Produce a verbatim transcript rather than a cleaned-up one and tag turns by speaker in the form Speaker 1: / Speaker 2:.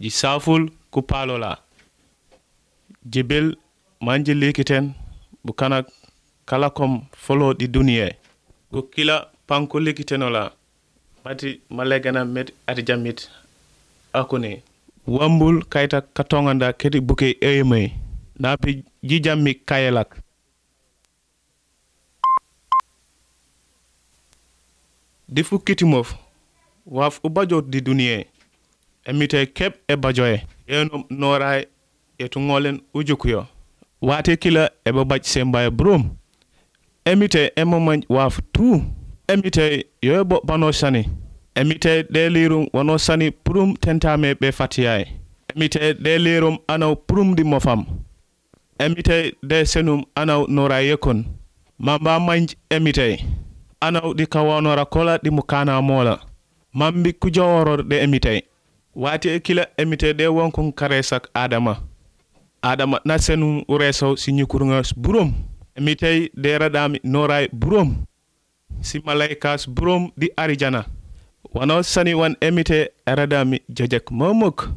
Speaker 1: ji saful ku palola jibel manje likiten bukanak kalakom folo di duniye ko kila panko likitenola mati malegana met ati jamit akune wambul kayta katonganda keti buke eyeme napi jijammi kayelak di fukkiti mof waf ubajot di duniye emite kep e bajoye yeno noray etu ngolen ujukuyo wate kila e babaj sembaye brum emite emomanj waf tu emite yobo bano sani emite de lirum wono sani prum tentame be fatiyay emite de lirum anaw prum di mofam emite de senum anaw nora yekon mamba manj emite anaw di kawanora kola di mukana mola mambi kujaworo de emite wati kila emite de wonkun karesak adama adama na senum ureso sinyukurunga burum emite de radami noray burum si malaikas burum di arijana wano sani wan emite radami jajak momok